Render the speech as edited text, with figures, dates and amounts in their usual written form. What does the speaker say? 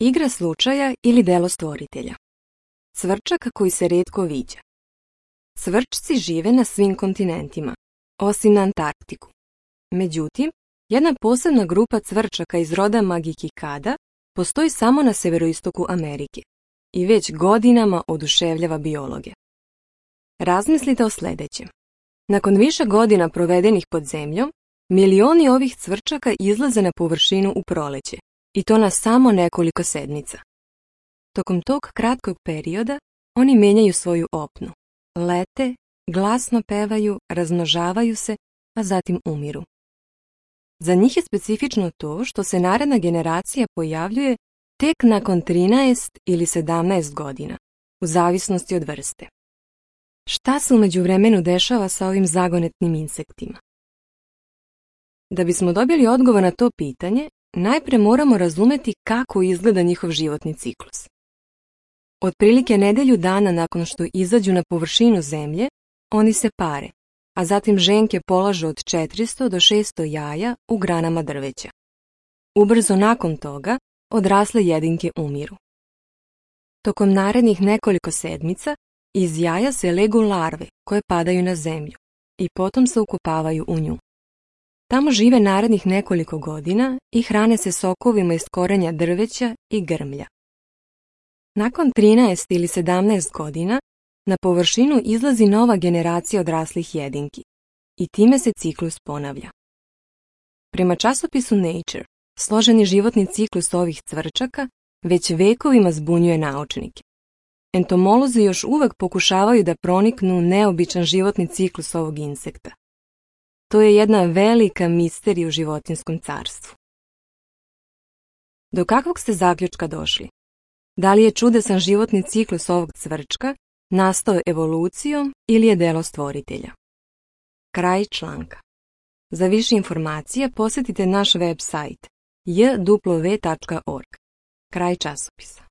Igra slučaja ili delo stvoritelja. Cvrčak koji se rijetko viđa. Cvrčci žive na svim kontinentima, osim na Antarktiku. Međutim, jedna posebna grupa cvrčaka iz roda Magikikada postoji samo na severoistoku Amerike i već godinama oduševljava biologe. Razmislite o sljedećem. Nakon više godina provedenih pod zemljom, milioni ovih cvrčaka izlaze na površinu u proleće, i to na samo nekoliko sedmica. Tokom tog kratkog perioda oni menjaju svoju opnu, lete, glasno pevaju, razmnožavaju se, a zatim umiru. Za njih je specifično to što se naredna generacija pojavljuje tek nakon 13 ili 17 godina, u zavisnosti od vrste. Šta se u međuvremenu dešava sa ovim zagonetnim insektima? Da bismo dobili odgovor na to pitanje, najprije moramo razumjeti kako izgleda njihov životni ciklus. Otprilike nedelju dana nakon što izađu na površinu zemlje, oni se pare, a zatim ženke polažu od 400 do 600 jaja u granama drveća. Ubrzo nakon toga, odrasle jedinke umiru. Tokom narednih nekoliko sedmica, iz jaja se legu larve koje padaju na zemlju i potom se ukopavaju u nju. Tamo žive narednih nekoliko godina i hrane se sokovima iz korenja drveća i grmlja. Nakon 13 ili 17 godina, na površinu izlazi nova generacija odraslih jedinki i time se ciklus ponavlja. Prema časopisu Nature, složeni životni ciklus ovih cvrčaka već vekovima zbunjuje naučnike. Entomolozi još uvek pokušavaju da proniknu u neobičan životni ciklus ovog insekta. To je jedna velika misterija u životinjskom carstvu. Do kakvog ste zaključka došli? Da li je čudesan životni ciklus ovog cvrčka nastao evolucijom ili je delo stvoritelja? Kraj članka. Za više informacija posjetite naš web sajt jw.org. Kraj časopisa.